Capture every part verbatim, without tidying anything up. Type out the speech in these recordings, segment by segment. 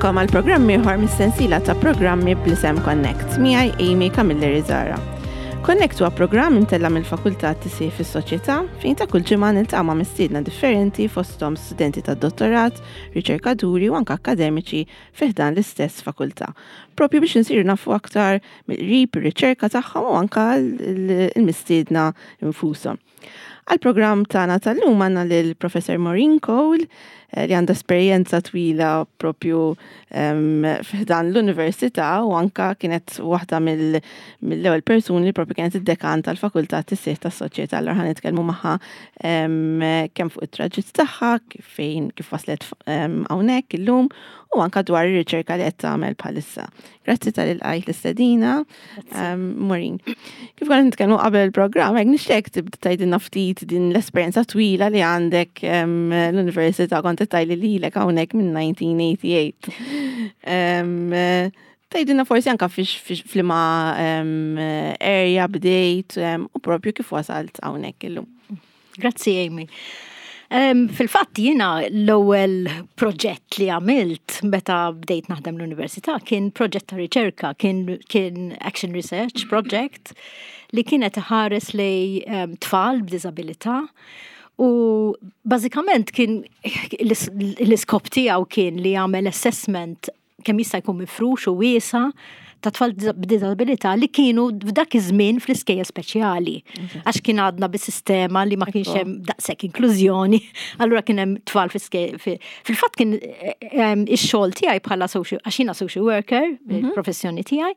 Nilqagħkom għal programm ieħor mis-sensiela ta' programmi bl-isem Connect, miegħi Amy Camilleri Zara. Connect huwa programm imtella' mill-Fakultà Tisħiħ fis-Soċjetà fejn ta' kull ġimgħa niltaqa' ma' mistiedna differenti fosthom studenti tad-dottorat, riċerkaturi u anke akkademiċi fi ħdan l-istess fakultà. Propju biex insiru nafu aktar mill-qrib ir-riċerka tagħhom u anke l-mistiedna infushom. Għal-programm tagħna tal-lum għandna lil Professor Maureen Cole eh, li għandha esperjenza twila propju fi ħdan l-università u anka kienet waħda mill-ewwel persuni li propju kienet id-dekan tal-Fakultà Tisħiħ tas-Soċjetà. Allura ħa nitkellmu magħha kemm fuq it-traġitt tagħha, kif fejn kif waslet hawnhekk illum u anka dwar ir-riċerka li qed tagħmel bħalissa. Grazzi talli lqajt l-istedina, Maureen. Kif konna nitkellmu qabel il-programm, hekk nixtieq tibda tgħidilna ftit din l-esperjenza twila li għandek l-università. Kont tgħidli lilek hawnhekk minn elf disa' mija u tmienja u disgħin. Tgħidilna forsi anka f'liema area bdejt u propju kif wasalt hawnhekk illum. Grazzi, Amy. Fil-fatt jiena l-ewwel proġett li għamilt meta bdejt naħdem l-università kien proġett ta' riċerka, kien, kien Action Research Project li kienet ħares lejn tfal b'diżabilità u bażikament kien l-iskop tiegħu kien li jagħmel assessment kemm jista' jkun mifrux u wiesa' ta' tfal b'disabilità li kienu f'dak iż-żmien fl-iskejjel speċjali. Għax kien għadna bis-sistema li ma kienx hemm daqshekk inklużjoni, allura kien hemm tfal fl-iskejjel. Fil-fatt kien ix-xogħol tiegħi bħala social, għax jiena social worker, il-professjoni tiegħi,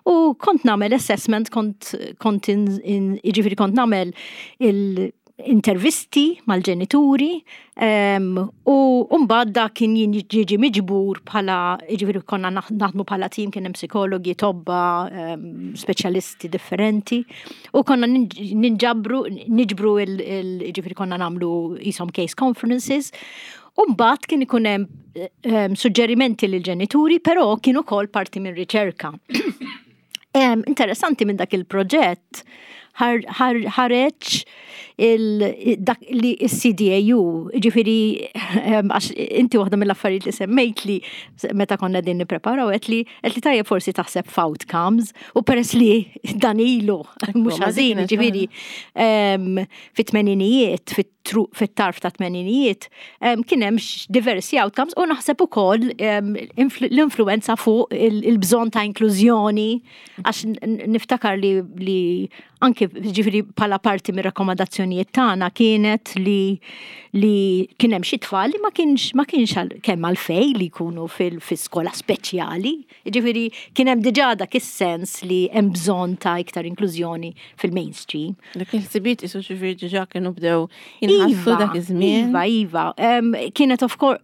u kont nagħmel assessment, kont kont jiġifieri kont nagħmel il- intervisti mal-ġenituri u mbagħad dak kien jiġi miġbur bħala, jiġifieri konna naħdmu bħala tim, kien hemm psikologi, tobba, speċjalisti differenti u konna ninġabru niġbru il, jiġifieri konna nagħmlu qishom case conferences. U mbagħad kien ikun hemm suġġerimenti lill-ġenituri, però kien ukoll parti minn riċerka. Interessanti, minn dak il-proġett ħareġ dak li il-C D A U, ġifieri, għax inti waħda mill-affarijiet li semmejt li meta konna din nippreparaw, għedt li għedt li tajjeb forsi taħseb f'outcomes u peress li dan ilu mhux ħażin, ġifieri fit-tmeninijiet, fit-tarf ta' tmeninijiet, kien hemm diversi outcomes u naħseb ukoll l-influenza fuq il-bżonn ta' inklużjoni, għax niftakar li li anke ġifieri bħala parti mir rakkomandazzjonijiet tagħna kienet li li kien hemm xi tfal li ma kienx ma kienx kemm għalfejn li jkunu fil-skola speċjali. Ġifieri kien hemm diġà dak is-sens li hemm bżonn ta' iktar inklużjoni fil-mainstream. Dak il-ħsibiet isu ġifieri diġà kienu bdew jinħassu dak iż-żmien. Iva, iva. Kienet of course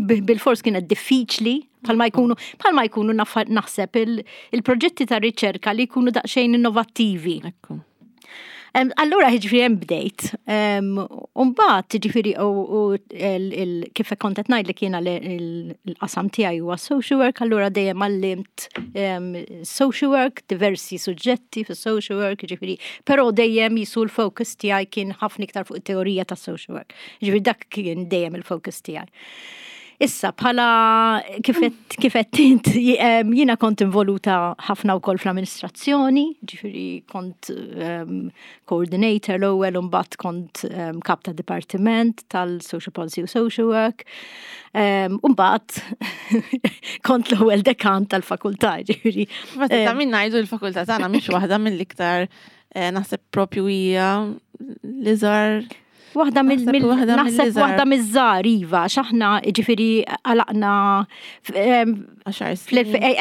bil-fors kienet diffiċli, bħalma jkunu bħalma jkunu naħseb il-proġetti ta' riċerka li jkunu daqsxejn innovattivi. Allura ġifieri hemm bdejt. Umbagħad ġifieri u kif kont qed ngħidlek, jiena l-qasam tiegħi huwa social work, allura dejjem għallimt social work, diversi suġġetti fis social work, ġifieri, però dejjem jisu l-focus tiegħi kien ħafna iktar fuq it-teorija ta' social work. Ġifieri dak kien dejjem il-focus tiegħi. Issa, bħala kif għedt int, jiena kont involuta ħafna wkoll fl-amministrazzjoni, ġifieri kont um, coordinator l-ewwel u mbagħad kont um, kap ta' dipartiment tal-Social Policy u Social Work. Um, u mbagħad kont l-ewwel dekan tal-fakultà, ġifieri. Ta' min ngħidu, l-fakultà tagħna mhix waħda mill-iktar, eh, naħseb propju hija l-iżgħar. Waħda mill naħseb waħda miż-żgħar, iva, x'aħna ġifieri għalaqna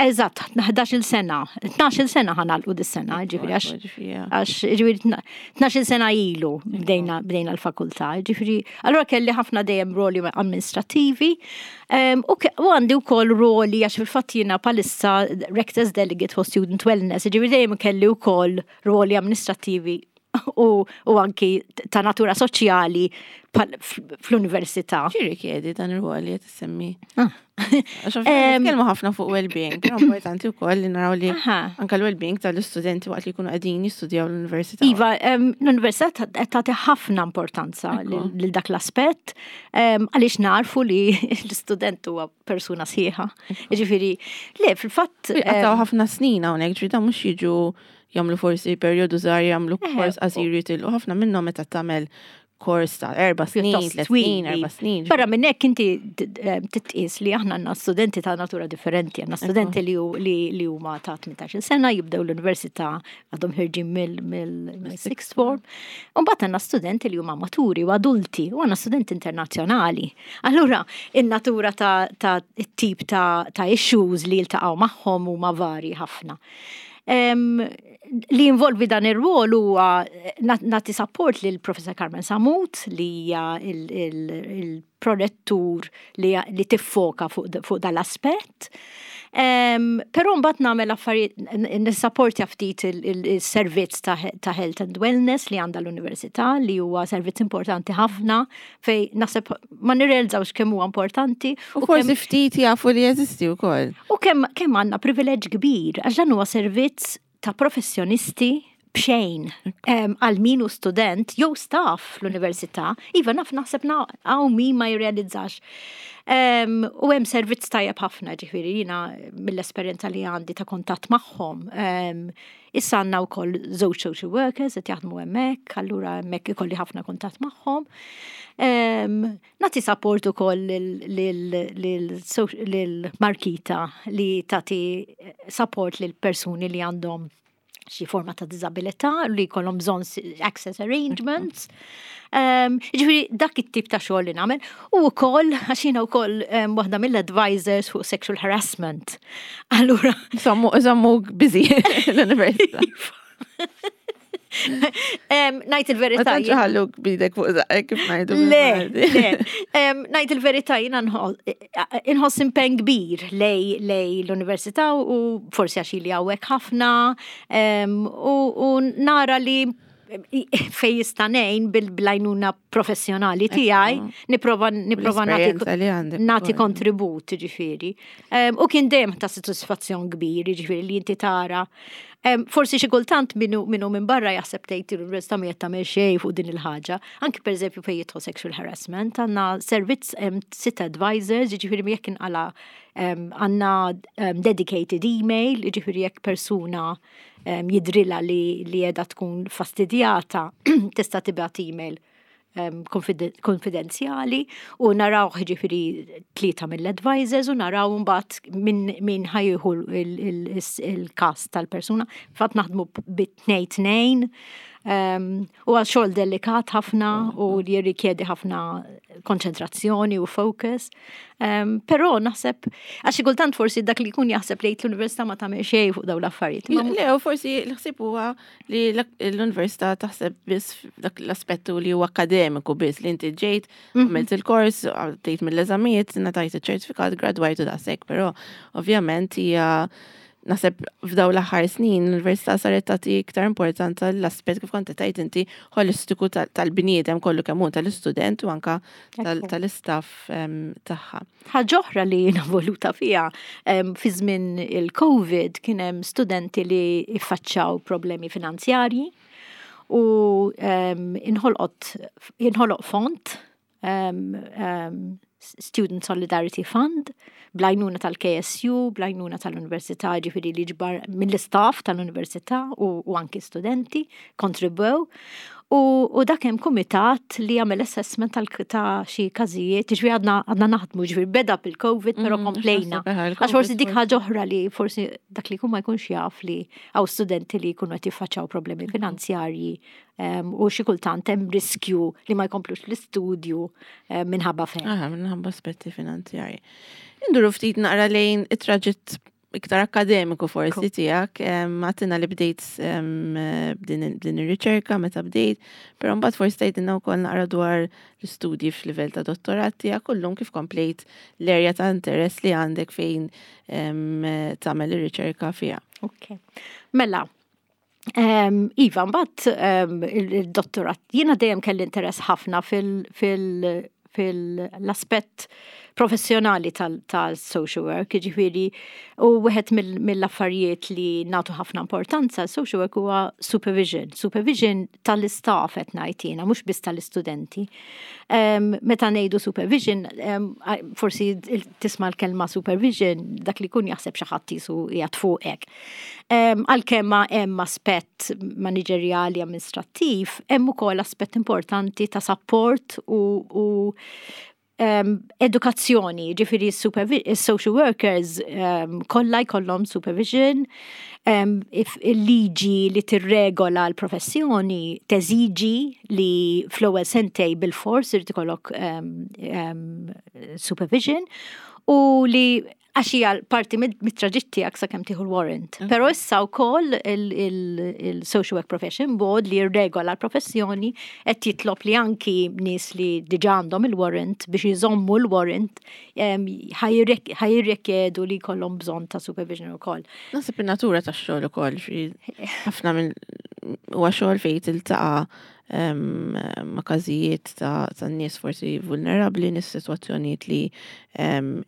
eżatt ħdax-il sena, tnax-il sena ħa nagħlqu dis-sena, ġifieri għax ġifieri tnax-il sena ilu bdejna bdejna l-fakultà, ġifieri allura kelli ħafna dejjem roli amministrativi u għandi wkoll roli, għax fil-fatt jiena bħalissa Rector's Delegate for Student Wellness, ġifieri dejjem kelli wkoll roli amministrativi. u, u anki ta' natura soċjali fl-università. X'jirrikjedi dan ir-rwol li qed issemmi? Ah. Għax nitkellmu ħafna fuq well-being, però importanti wkoll li naraw li anke l-well-being tal-istudenti waqt li jkunu qegħdin jistudjaw l-università. Iva, l-università tagħti ħafna importanza lil dak l-aspett, għaliex narfu li l-istudent huwa persuna sħiħa. Jiġifieri, le, fil-fatt. Għataw ħafna snin hawnhekk, ġifieri mhux jiġu jagħmlu forsi perjodu żgħar, jagħmlu kors qasir, jitilqu. Ħafna minnhom meta tagħmel kors ta' erba' snin, tliet snin, erba' snin. Barra minn hekk, inti titqis li aħna għandna studenti ta' natura differenti, għandna studenti li huma ta' tmintax-il sena, jibdew l-università, għadhom ħerġin mill-sixth form. U mbagħad għandna studenti li huma maturi u adulti u għandna studenti internazzjonali. Allura, in-natura ta' tip ta' issues li jiltaqgħu magħhom huma vari ħafna. Li involvi dan ir-rwol huwa nagħti support lil Professor Carmen Samut, li hija il-prorettur li tiffoka fuq dal-aspett. Però mbagħad nagħmel affarijiet, nissapportja ftit il-servizz ta' health and wellness li għandha l-università, li huwa servizz importanti ħafna fej naħseb ma nirrealizzawx kemm huwa importanti. U forsi ftit jafu li jeżisti wkoll. U kemm kemm għandna privileġġ kbir, għax dan huwa servizz ta' professjonisti b'xejn għal min hu student jew staff l-università. Iva, naf, naħseb hawn min ma jirrealizzax. U hemm servizz tajjeb ħafna, ġifieri jiena mill-esperjenza li għandi ta' kontatt magħhom. Issa għandna wkoll żewġ social workers qed jaħdmu hemmhekk, allura hemmhekk ikolli ħafna kuntatt magħhom. Nagħti support ukoll lil Markita li tagħti support lil persuni li għandhom xi forma ta' diżabilità li jkollhom bżonn access arrangements. Ġifieri dak it-tip ta' xogħol li nagħmel u wkoll għax jiena wkoll waħda mill-advisors fuq sexual harassment. Allura Żommu busy l-università. Ngħid il-verità. Ma ħalluk bidek fuq żaqqek, kif ngħidu. Le, le. Ngħid il-verità, jiena inħoss impenn kbir lej lej l-università u forsi għax li hawnhekk ħafna u nara li fej jista' ngħin bil-għajnuna professjonali tiegħi, nipprova nipprova nagħti kontribut, ġifieri. U kien dejjem ta' sodisfazzjon kbir, ġifieri li inti tara. Forsi xi kultant minnu minnu minn barra jaħseb, tgħid, l-università ma tagħmel xejn fuq din il-ħaġa. Anki pereżempju fejn jidħol sexual harassment, għandna servizz, sitt advisors, ġifieri jekk inqala għandna dedicated email, ġifieri jekk persuna jidrilha li li qiegħda tkun fastidjata, tista' tibgħat email konfidenzjali u naraw, ġifieri tlieta mill-advisors, u naraw mbagħad min ħa jieħu il-kas tal-persuna. Fatt naħdmu bit-tnejn tnejn u għal xogħol delikat ħafna u li jirrikjedi ħafna konċentrazzjoni u focus. Però naħseb, għax kultant forsi dak li jkun jaħseb li l-università ma tagħmel xejn fuq dawn l-affarijiet. Le, u forsi l-ħsieb huwa li l-università taħseb biss dak l-aspettu li huwa akademiku biss, li inti ġejt, mhm. għamilt il-kors, għaddejt mill-eżamijiet, ngħatajt iċ-ċertifikat, gradwajt u daqshekk, però ovvjament hija, naħseb f'daw l-aħħar snin l-università saret tagħti iktar importanza l-aspett, kif kont tgħid inti, holistiku tal-bniedem kollu kemm hu, tal-istudent u anka tal-istaff tagħha. Ħaġa oħra li jiena voluta fiha, fi żmien il-Covid kien hemm studenti li iffaċċaw problemi finanzjarji u inħolqot inħoloq fond, Student Solidarity Fund, bl-għajnuna tal-K S U, bl-għajnuna tal-Università, ġifieri li ġbar mill-istaff tal-Università u, u anki studenti kontribwew. U, u dak hemm kumitat li jagħmel assessment ta' xi każijiet, ġifieri għadna għadna naħdmu, ġifieri beda bil-Covid, però mm, komplejna. Għax forsi dik ħaġa oħra li forsi dak li jkun ma jkunx jaf li hawn studenti li jkunu qed jiffaċċaw problemi finanzjarji u xi kultant hemm riskju li ma jkomplux l-istudju minħabba fejn. Aha, minħabba aspetti finanzjarji. Induru ftit naqra lejn it-traġitt iktar akademiku forsi tiegħek, għedtilna li bdejt b'din ir-riċerka meta bdejt, però mbagħad forsi tgħidilna wkoll naqra dwar l-istudji f'livell ta' dottorat tiegħek kullum, kif komplejt l-erja ta' interess li għandek fejn tagħmel ir-riċerka fiha. Ok. Mela, Um, iva, mbagħad um, il-dottorat, jiena dejjem kelli interess ħafna fil- fil- fil-aspett professjonali tal-social work, ġifieri, u wieħed mill-affarijiet li nagħtu ħafna importanza social work huwa supervision. Supervision tal-istaff qed ngħid jiena, mhux biss tal-istudenti. Um, meta ngħidu supervision, um, forsi tisma' l-kelma supervision, dak li kun jaħseb xi ħadd qisu qiegħed fuqek. Um, Għalkemm hemm aspett maniġerjali amministrattiv, hemm ukoll aspett importanti ta' support u, u um, edukazzjoni, ġifieri social workers um, kollha jkollhom supervision, um, il-liġi li tirregola l-professjoni teżiġi li fl-ewwel sentejn bil-fors irid ikollok um, um, supervision u li għax hija parti mit-traġitt tiegħek sakemm tieħu l-warrant. Però issa wkoll il-Social Work Profession Board li jirregola l-professjoni qed jitlob li anki nies li diġà għandhom il-warrant biex jżommu l-warrant ħa jirrikjedu li jkollhom bżonn ta' supervision ukoll. Naħseb in-natura tax-xogħol ukoll ħafna minn huwa xogħol fejn tiltaqa' ma' każijiet ta' nies forsi vulnerabbli, nies sitwazzjonijiet li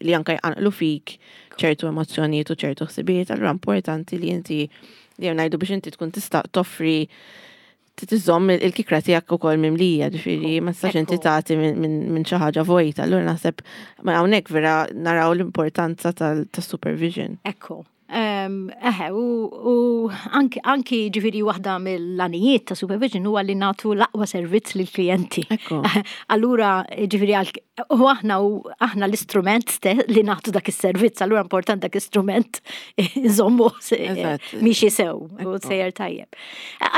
li anka jqanqlu fik ċertu emozzjonijiet u ċertu ħsibijiet, allura importanti li inti li ngħidu biex inti tkun tista' toffri tiżomm il-kikra tiegħek ukoll mimlija, ġifieri ma tistax inti tagħti minn xi ħaġa vojta, allura naħseb ma hawnhekk vera naraw l-importanza tas-supervision. Ekku. Eħe, u anki, anki ġifieri waħda mill-għanijiet ta' supervision huwa li nagħtu l-aqwa servizz lill-klijenti. Allura, ġifieri, u aħna u aħna l-istrument li nagħtu dak is-servizz, allura important dak l-istrument iżommu miexi sew u sejjer tajjeb.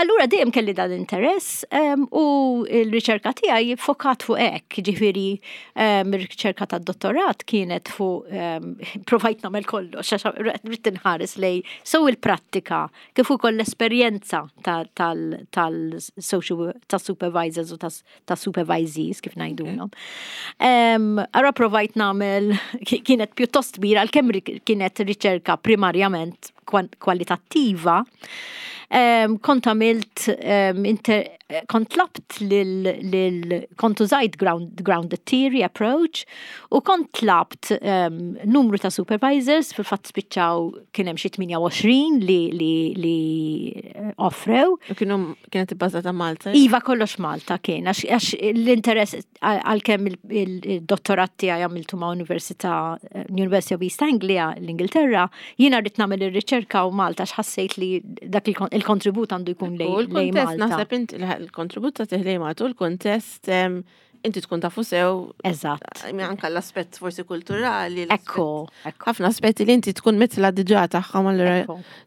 Allura dejjem kelli dan interess u l-riċerka tiegħi fokat fuq hekk, ġifieri ir-riċerka tad-dottorat kienet fuq provajt nagħmel kollox, ridt inħares lejn sew il-prattika kif ukoll l-esperjenza tal-social tas-supervisors u tas-supervisees kif ngħidulhom. Ara provajt nagħmel kienet pjuttost kbira għalkemm kienet riċerka primarjament kwalitattiva. Kont għamilt kont tlabt lil kont użajt ground, grounded theory approach u kont tlabt numru ta' supervisors, fil-fatt spiċċaw kien hemm xi tmienja u għoxrin li li li offrew. U kienu kienet ibbażata Malta? Iva, kollox Malta kien, għax l-interess, għalkemm il-dottorat tiegħi għamiltu ma' Università University of East Anglia l-Ingilterra, jiena rrid nagħmel ir-riċerka u Malta x'ħassejt li dak il-kontribut għandu jkun lejn Malta. Naħseb inti il-kontribut ta' lejn Malta u l-kontest inti tkun tafu sew. Eżatt. Anka l-aspett forsi kulturali. Ekku. Ħafna aspetti li inti tkun mitla diġà tagħhom, allura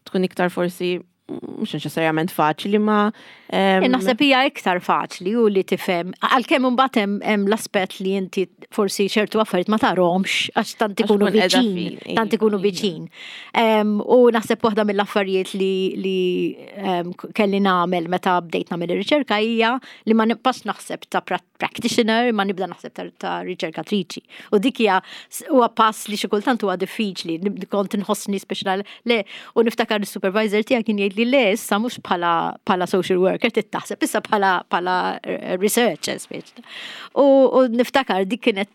tkun iktar forsi mhux neċessarjament faċli ma. Naħseb hija iktar faċli u li tifhem, għalkemm imbagħad hemm l-aspett li inti forsi ċertu affarijiet ma tarahomx għax tant ikunu viċin, tant ikunu viċin. U naħseb waħda mill-affarijiet li li kelli nagħmel meta bdejt nagħmel ir-riċerka hija li ma nibqax naħseb ta' practitioner, ma nibda naħseb ta' riċerkatriċi. U dik hija huwa pass li xi kultant huwa diffiċli, kont inħossni speċjal le u niftakar is-supervisor tiegħi kien jgħid li le, issa mhux bħala bħala social worker trid taħseb, issa bħala bħala researcher speċi. U, u niftakar dik kienet,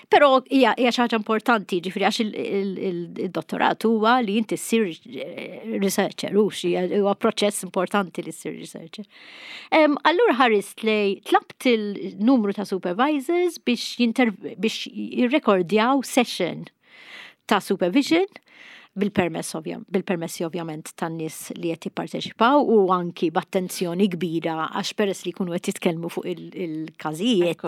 però hija hija xi ħaġa importanti, ġifieri għax il-dottorat huwa li inti ssir researcher, u huwa proċess importanti li ssir researcher. Allura ħarist lejn tlabt il-numru ta' supervisors biex biex jirrekordjaw session ta' supervision bil-permess bil-permessi ovvjament tan-nies li qed jipparteċipaw u anki b'attenzjoni kbira għax peress li jkunu qed jitkellmu fuq il-każijiet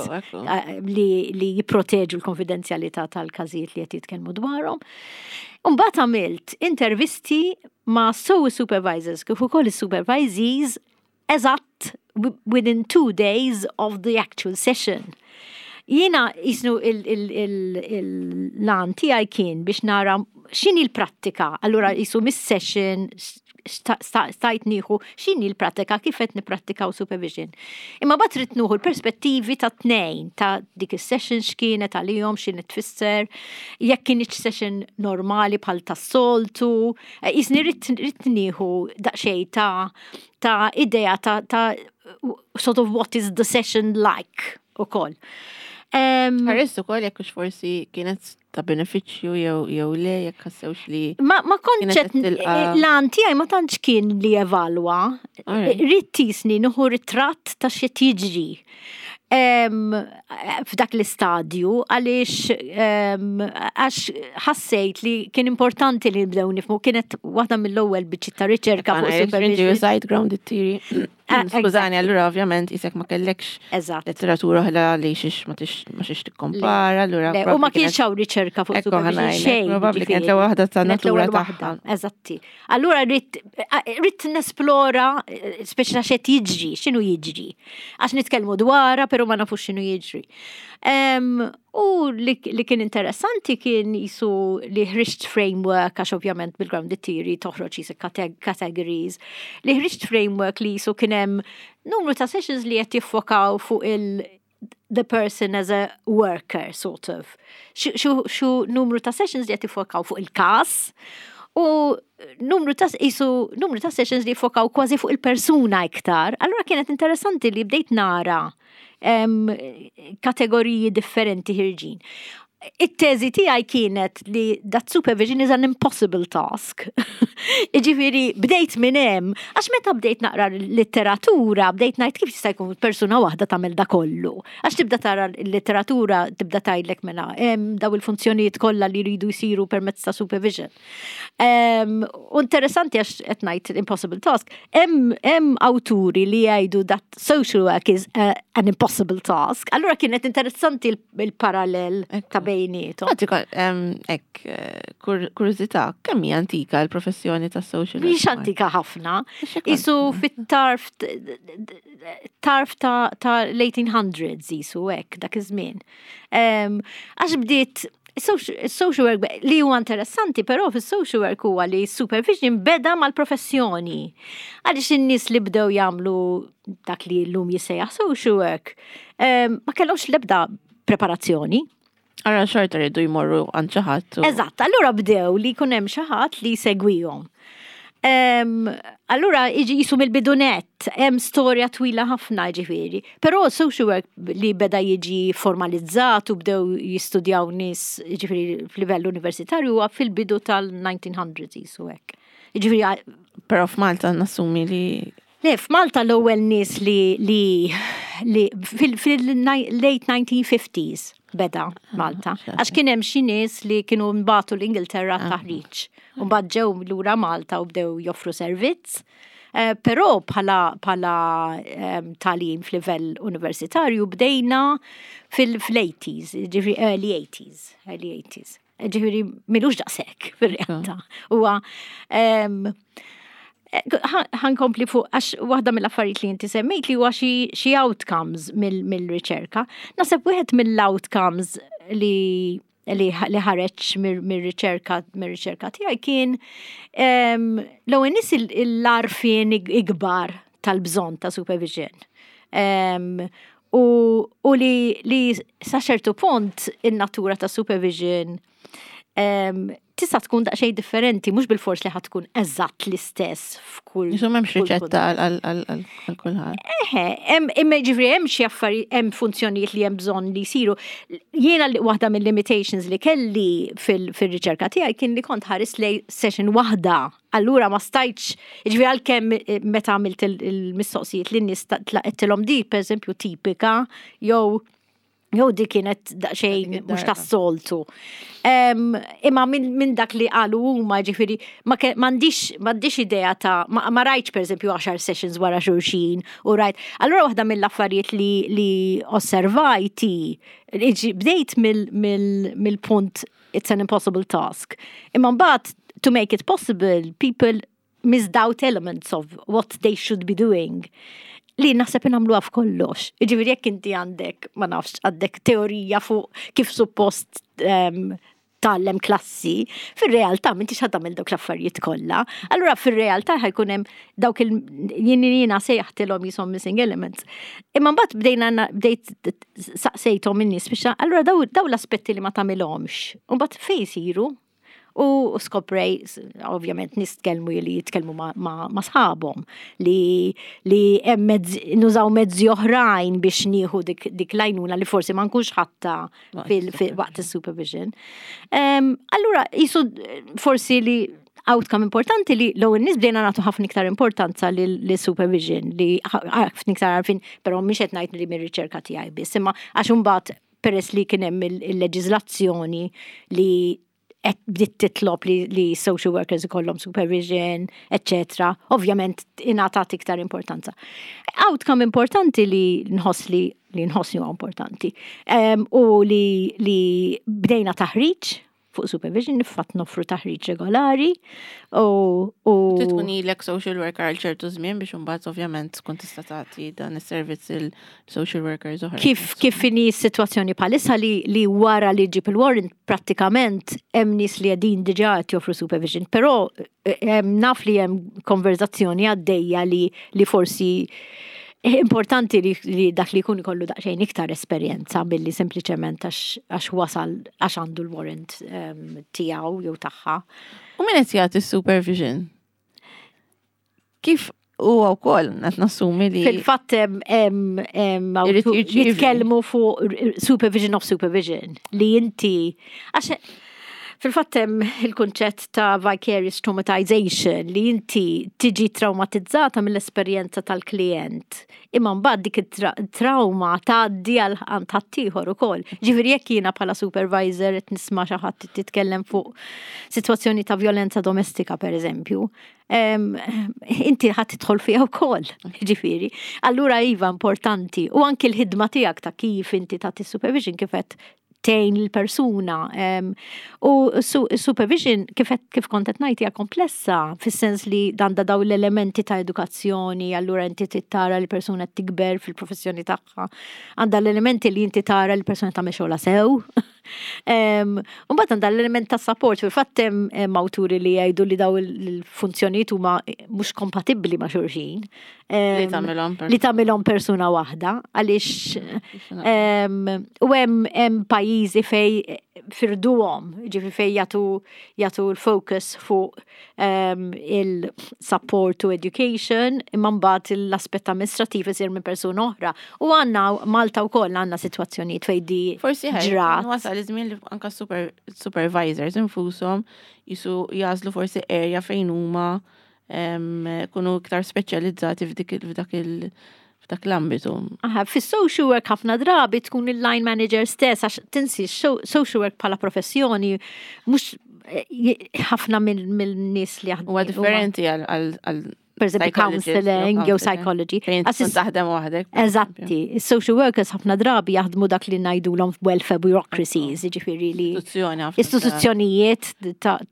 li, li jipproteġu l-konfidenzjalità tal-każijiet li qed jitkellmu dwarhom. Mbagħad għamilt intervisti ma' sew supervisors kif ukoll is-supervisees eżatt within two days of the actual session. Jiena jisnu l-għan tiegħi kien biex nara x'inhi l-prattika, allura jisu mis-session stajt nieħu x'inhi l-pratika, kif qed nipprattikaw supervision. Imma mbagħad ridt nieħu l-perspettivi ta' tnejn, ta' dik is-session x'kienet għalihom, x'inhi tfisser, jekk kienx session normali bħal tas-soltu, jiġifieri ridt ridt nieħu daqsxejn ta' ta' idea ta' ta' sort of what is the session like ukoll. Ħarist ukoll jekk hux forsi kienet ta' benefiċċju jew jew le, jekk ħassewx li Ma, ma kontx l-għan tiegħi ma tantx kien li evalwa. Ridt jiġifieri nieħu ritratt ta' x'qed jiġri f'dak l-istadju, għaliex għax ħassejt li kien importanti li nibdew nifhmu, kienet waħda mill-ewwel biċċi ta' riċerka fuq supervision. Użajt grounded theory. Ah, skużani, allura ovvjament isek ma kellekx letteratura oħra li xiex ma xiex tikkompara, allura. U ma kienx hawn riċerka fuq supervision xejn. Probabbli kienet l-ewwel waħda ta' natura tagħha. Eżatti. Allura ridt nesplora speċi x'qed jiġri, x'inhu jiġri. Għax nitkellmu dwarha, però ma nafux x'inhu jiġri. U li, li kien interessanti kien jisu li ħriġt framework, għax ovvjament bil-grounded theory toħroġ jisu categories, li ħriġt framework li jisu kien hemm numru ta' sessions li qed jiffokaw fuq il- the person as a worker, sort of. Xu numru ta' sessions li qed jiffokaw fuq il-kas, u numru ta' jisu numru ta' sessions li jiffokaw kważi fuq il-persuna iktar. Allura kienet interessanti li bdejt nara um, kategoriji differenti ħerġin. It-teżi tiegħi kienet li that supervision is an impossible task. Iġifieri bdejt minn hemm, għax meta bdejt naqra l-litteratura, bdejt ngħid kif jista' jkun persuna waħda tagħmel da kollu. Għax tibda tara l-litteratura, tibda tgħidlek mela hemm daw il-funzjonijiet kollha li jridu jsiru permezz ta' supervision. U interessanti, għax qed ngħid impossible task, hemm awturi li jgħidu that social work is uh, an impossible task. Allura kienet interessanti il-parallel ta' bejnietom. Ek, eh, kurżità, kemm hija antika l-professjoni ta' social work? Mhix antika ħafna. Isu fit-tarf tarf ta' l-eighteen hundreds jisu hekk dak iż-żmien. Għax bdiet social work, li huwa interessanti però fis-social work huwa li supervision beda mal-professjoni. Għaliex in-nies li bdew jagħmlu dak li llum jissejjaħ social work ma kellhomx l-ebda preparazzjoni. Ara xorta rridu jmorru għand xi ħadd. Eżatt, allura bdew li jkun hemm xi ħadd li jsegwihom. Allura iġi jisu mill-bidu nett, hemm storja twila ħafna ġifieri. Però social work li beda jiġi formalizzat u bdew jistudjaw nies ġifieri f'livell universitarju huwa fil-bidu tal-nineteen hundreds jisu hekk. Ġifieri Però f'Malta nassumi li Le, f'Malta l-ewwel nies li li li fil-late nineteen fifties beda Malta. Għax kien hemm xi nies li kienu nbagħtu l-Ingilterra ah. taħriġ. U mbagħad ġew lura Malta u bdew joffru servizz. Eh, però bħala bħala tagħlim f'livell universitarju bdejna fil-eighties, ġifieri early eighties, early eighties. Ġifieri m'ilux daqshekk fir-realtà. Huwa ħa nkompli fuq, għax waħda mill-affarijiet li inti semmejt li huwa xi outcomes mill-riċerka. Naħseb wieħed mill-outcomes li li ħareġ mir-riċerka mir-riċerka tiegħi kien l-ewwel nies l-għarfien ikbar tal-bżonn ta' supervision. U, u li, li sa ċertu punt in-natura ta' supervision tista' tkun daqsxejn differenti, mhux bil-fors li ħa tkun eżatt l-istess f'kull. Insomma m'hemmx riċetta għal kulħadd. Eħe, imma ġifieri hemm xi affarijiet, hemm funzjonijiet li hemm bżonn li jsiru. Jiena waħda mill-limitations li kelli fil-riċerka tiegħi kien li kont ħares lej session waħda. Allura ma stajtx, ġifieri għalkemm eh, meta għamilt il-mistoqsijiet lin-nies tlaqettilhom di, per eżempju, tipika, jew jew di kienet daqsxejn mhux tas-soltu. Imma minn dak li qalu huma, ġifieri m'għandix m'għandix idea ta' ma rajtx, pereżempju, għaxar sessions wara xulxin u rajt. Allura waħda mill-affarijiet li li osservajti, bdejt mill-punt it's an impossible task. Imma mbagħad to make it possible, people missed out elements of what they should be doing li naħseb nagħmluha f'kollox. Ġifieri jekk inti għandek, ma nafx, għandek teorija fuq kif suppost um, tgħallem klassi, fir-realtà m'intix ħa tagħmel dawk l-affarijiet kollha. Allura fir-realtà ħa jkun hemm dawk il jien jiena sejjaħtilhom jisom missing elements. Imma mbagħad bdejna bdejt saqsejthom in-nies biex allura daw, daw l-aspetti li ma tagħmilhomx. U mbagħad fejn isiru? U skoprej, ovvjament nitkellmu li jitkellmu ma, ma, ma sħabhom li li hemm mezzi, nużaw mezzi oħrajn biex nieħu dik, dik l-għajnuna li forsi ma nkunx ħadtha waqt is-supervision. Um, allura jisu forsi li outcome importanti li l nies bdejna nagħtu ħafna iktar importanza li supervision li ħafna iktar għarfin, però mhix qed ngħid li mir-riċerka tiegħi biss, imma għax imbagħad peress li kien hemm il-leġiżlazzjoni li qed bdiet titlob li, li social workers ikollhom supervision, etc. Ovvjament ingħatat iktar importanza. Outcome importanti li nħoss li li nħoss li huwa importanti. Um, u li, li bdejna taħriġ fuq supervision, fatt noffru taħriġ regolari u. u Tkun ilek social worker għal ċertu żmien biex imbagħad ovvjament tkun tista' tagħti dan is-servizz il-social workers oħra. Kif kif inhi s-sitwazzjoni bħalissa li, li wara li ġib il-warrant prattikament hemm nies li qegħdin diġà qed joffru supervision, però eh, naf li hemm konverzazzjoni għaddejja li, li forsi importanti li, li dak li jkun ikollu daqsxejn iktar esperjenza billi sempliċement għax wasal għax għandu l-warrant um, tiegħu jew tagħha. U min qed jagħti supervision? Kif huwa wkoll qed nassumi li Fil-fatt hemm jitkellmu fuq supervision of supervision li inti għax fil-fatt hemm il-kunċett ta' vicarious traumatization li inti tiġi traumatizzata mill-esperjenza tal-klient. Imma mbagħad dik it-trauma tgħaddi għal ħaddieħor ukoll. Ġifieri jekk jiena bħala supervisor qed nisma' xi ħadd titkellem fuq sitwazzjoni ta' violenza domestika pereżempju, inti ħadd tidħol fiha wkoll, ġifieri. Allura iva importanti u anki l-ħidma tiegħek ta' kif inti tagħti supervision kif qed tgħin l-persuna. U supervision kif kif kont qed ngħid hija komplessa fis-sens li dan da daw l-elementi ta' edukazzjoni, allura inti tara l-persuna tikber fil-professjoni tagħha. Għandha l-elementi li inti tara l-persuna tagħmel xogħla sew. U mbagħad għandha l-element ta' support, fil-fatt hemm awturi li jgħidu li daw il-funzjonijiet huma mhux kompatibbli ma' xulxin. Li tagħmilhom li tagħmilhom persuna waħda għaliex u hemm pajjiżi fej firduhom, ġifi fej jagħtu jagħtu l-focus fuq il-support to education, imma mbagħad l-aspett amministrativ isir minn persuna oħra. U għandna Malta wkoll għandna sitwazzjonijiet fej di Forsi ġrat. Wasal iż-żmien li anka supervisors infushom jisu jagħżlu forsi area fejn huma kunu iktar speċjalizzati f'dak il- f'dak l-ambitu. Aha, fis-social work ħafna drabi tkun il-line manager stess, għax tinsi social work bħala professjoni mhux ħafna mill-nies li jaħdmu. Huwa differenti għal per eżempju counseling jew psychology. Fejn taħdem waħdek. Eżatti. Social workers ħafna drabi jaħdmu dak li ngħidulhom welfare bureaucracies, jiġifieri li istituzzjonijiet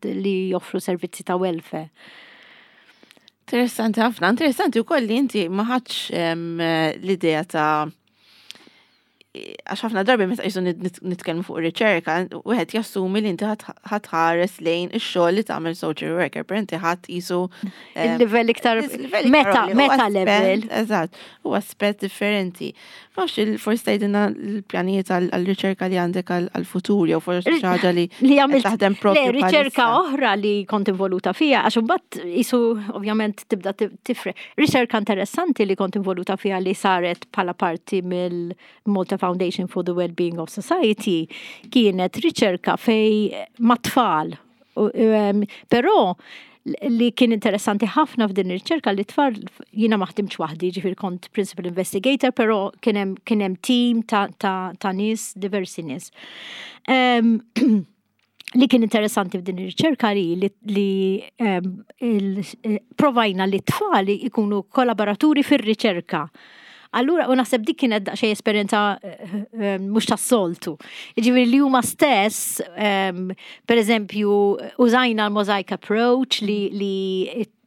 li joffru servizzi ta' welfare. Interessanti ħafna, interessanti wkoll li inti ma ħadx l-idea ta' għax ħafna drabi meta jisu nitkellmu fuq riċerka, wieħed jassumi li inti ħa tħares lejn ix-xogħol li tagħmel social worker, per inti ħadd jisu il-livell iktar meta meta level. Eżatt, u aspett differenti. Nafx forsi tgħidilna l-pjanijiet għal-riċerka li għandek għal-futur jew forsi xi ħaġa li li għamilt taħdem propju. Le, riċerka oħra li kont involuta fija, għax imbagħad jisu ovvjament tibda tifre. Riċerka interessanti li kont involuta fija li saret bħala parti mill-Malta Foundation for the Wellbeing of Society kienet riċerka fej mat-tfal. Però li kien interessanti ħafna f'din ir-riċerka li tfal jiena ma ħdimx waħdi, ġifieri kont principal investigator, però kien hemm team ta', ta, ta' nies, diversi nies. Um, li kien interessanti f'din ir-riċerka li li, li um, il, provajna li tfal ikunu kollaboraturi fir-riċerka. Allura, u naħseb dik kienet daqsxejn esperjenza mhux tas-soltu. Ġifieri li huma stess, per eżempju, użajna l-mosaic approach li, li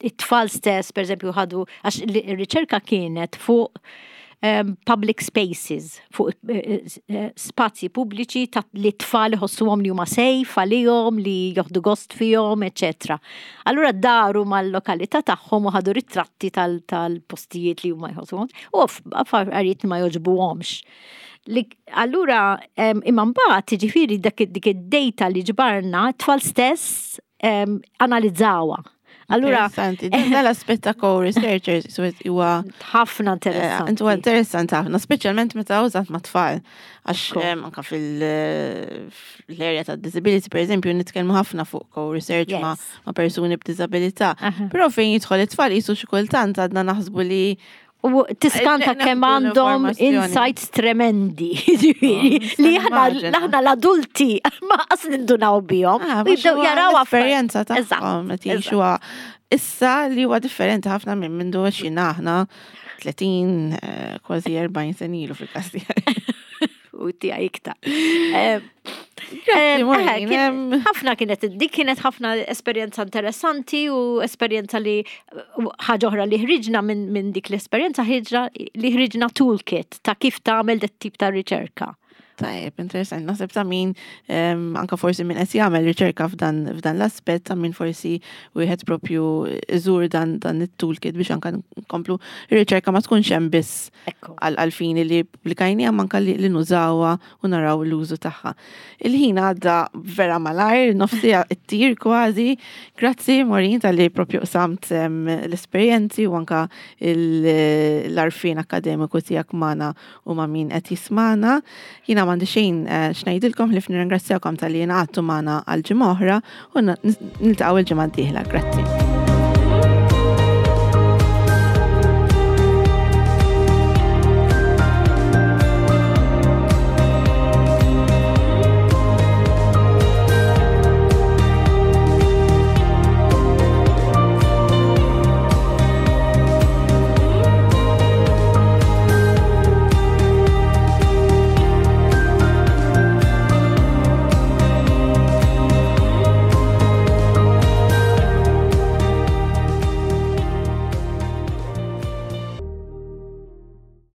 it-tfal stess, per eżempju, ħadu, għax ir-riċerka kienet fuq um, public spaces, fuq eh, eh, spazji pubbliċi ta' li tfal iħossuhom li huma safe għalihom, li joħdu gost fihom, eċetera. Allura daru mal-lokalità tagħhom u ħadu ritratti tal-postijiet li huma jħossuhom u affarijiet ma jogħġbuhomx. Li, allura, imma mbagħad jiġifieri dik id-data li ġbarna, tfal stess analizzawha. Allura, interessanti, dan l-aspett ta' co-researchers huwa ħafna interessanti. Huwa interessanti ħafna, speċjalment meta użat ma' tfal. Għax anka fil-area ta' disability, per eżempju, nitkellmu ħafna fuq co-research ma' persuni b'disabilità. Però fejn jidħol it-tfal jisu xi kultant għadna naħsbu li U tiskanta kemm għandhom insights tremendi, li aħna aħna l-adulti ma qas nindunaw bihom. Ah, jibdew jaraw esperjenza tagħhom qed jgħixuha issa li huwa differenti ħafna minn mindu għexin aħna tletin, eh, kważi erbgħin sena ilu fil-każ tiegħi. U tiegħi iktar. Ħafna kienet, dik kienet ħafna esperjenza interessanti u esperjenza li ħaġa oħra li ħriġna minn dik l-esperjenza ħriġna li ħriġna toolkit ta' kif tagħmel dat tip ta' riċerka. Tajjeb, interessanti. Naħseb ta' min, anka forsi min qed jagħmel riċerka f'dan f'dan l-aspett, ta' min forsi wieħed propju iżur dan dan it-toolkit biex anka nkomplu ir-riċerka ma tkunx hemm biss għal fini li pubblikajni anka li, li nużawha u naraw l-użu tagħha. Il-ħin għadda vera malajr, nofs siegħa ttir kważi. Grazzi, Maureen, talli propju qsamt l-esperjenzi u anka l-għarfien akkademiku tiegħek magħna u ma' min qed jismagħna. Jiena m'għandi xejn eh, x'ngħidilkom ħlief nirringrazzjakom talli ngħaqadtu magħna għal ġimgħa oħra u niltaqgħu il-ġimgħa d-dieħla. Grazzi.